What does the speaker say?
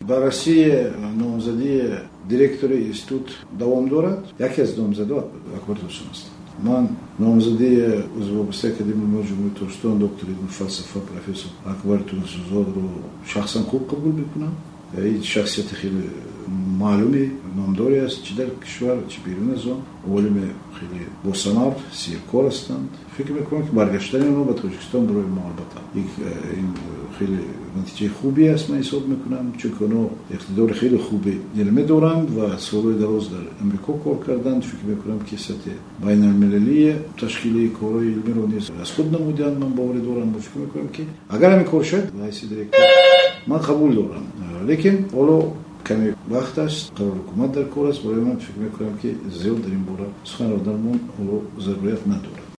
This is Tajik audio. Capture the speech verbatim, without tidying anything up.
Баррасии номзадии директори институт давом дорад. Яке аз номзадҳо Акбар Турсун аст. Ман номзадии узви вобастаи Академияи илмҳои Ҷумҳурии Тоҷикистон, доктори илми фалсафа, профессор Акбар Турсунзодаро шахсан хуб қабул мекунам. Ин шахсияти хеле маълуми номдоре аст, чӣ дар кишвар, чӣ берун аз он. Олими хеле босамар, серкор ҳастанд. Фикр мекунам, ки баргаштани онҳо ба Тоҷикистон барои мо албатта ин хеле натиҷаи хубе аст, ман ҳисоб мекунам, чунки онҳо иқтидори хеле хуби илмӣ доранд ва солҳои дароз дар Амрико кор карданд. Фикр мекунам, ки сатҳи байналмилалии ташкили корҳои илмиро низ аз худ намуданд, ман боварӣ дорам. Фикр мекунам, ки агар ҳамин кор шавад, ба ҳайси директор ман қабул дорам. Лекин ҳоло каме вақт аст, қарори ҳукумат дар кор аст. Барои ман фикр мекунам, ки зиёд дар ин бора сухан рондани ҳоло зарурат надорад.